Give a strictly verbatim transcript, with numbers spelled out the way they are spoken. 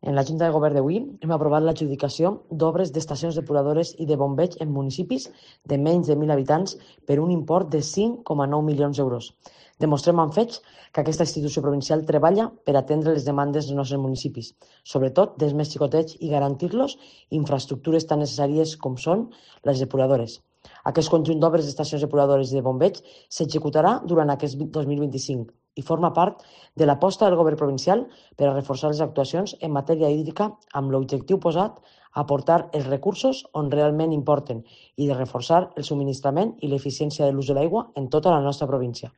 En la Junta de Govern d'avui hem aprovat l'adjudicació d'obres d'estacions depuradores i de bombeig en municipis de menys de mil habitants per un import de cinc coma nou milions d'euros. Demostrem amb fets que aquesta institució provincial treballa per atendre les demandes dels nostres municipis, sobretot dels més xicotets, i garantir-los infraestructures tan necessàries com són les depuradores. Aquest conjunt d'obres d'estacions depuradores i de bombeig s'executarà durant aquest dos mil vint-i-cinc i forma part de l'aposta del Govern provincial per a reforçar les actuacions en matèria hídrica amb l'objectiu posat a aportar els recursos on realment importen i de reforçar el subministrament i l'eficiència de l'ús de l'aigua en tota la nostra província.